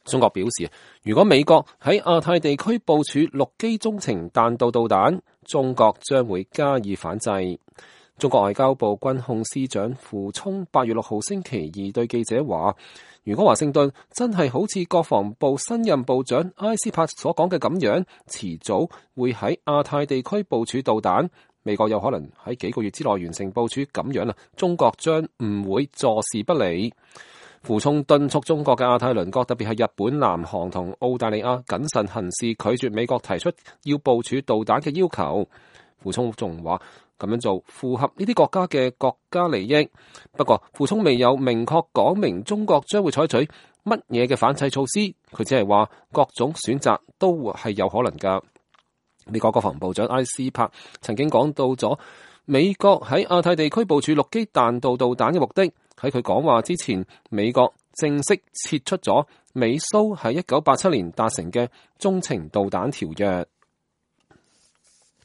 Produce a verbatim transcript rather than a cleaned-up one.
中國表示，如果美國喺亞太地區部署陸基中程彈道導彈，中國將會加以反制。中國外交部軍控司長傅聰八月六號星期二對記者話，如果華盛頓真係好似國防部新任部長埃斯珀所講嘅咁樣，遲早會喺亞太地區部署導彈，美國有可能喺幾個月之內完成部署咁樣啊，中國將唔會坐視不理。傅聰敦促中國嘅亞太鄰國，特別係日本、南韓同澳大利亞謹慎行事，拒絕美國提出要部署導彈嘅要求。傅聰仲話，咁樣做符合呢啲國家嘅國家利益。不過，傅聰未有明確講明中國將會採取乜嘢嘅反制措施，佢只係話各種選擇都係有可能㗎。美國國防部長埃斯珀曾經講到咗美國喺亞太地區部署陸基彈道導彈嘅目的。喺佢講話之前，美國正式撤出咗美蘇喺一九八七年達成嘅中程導彈條約。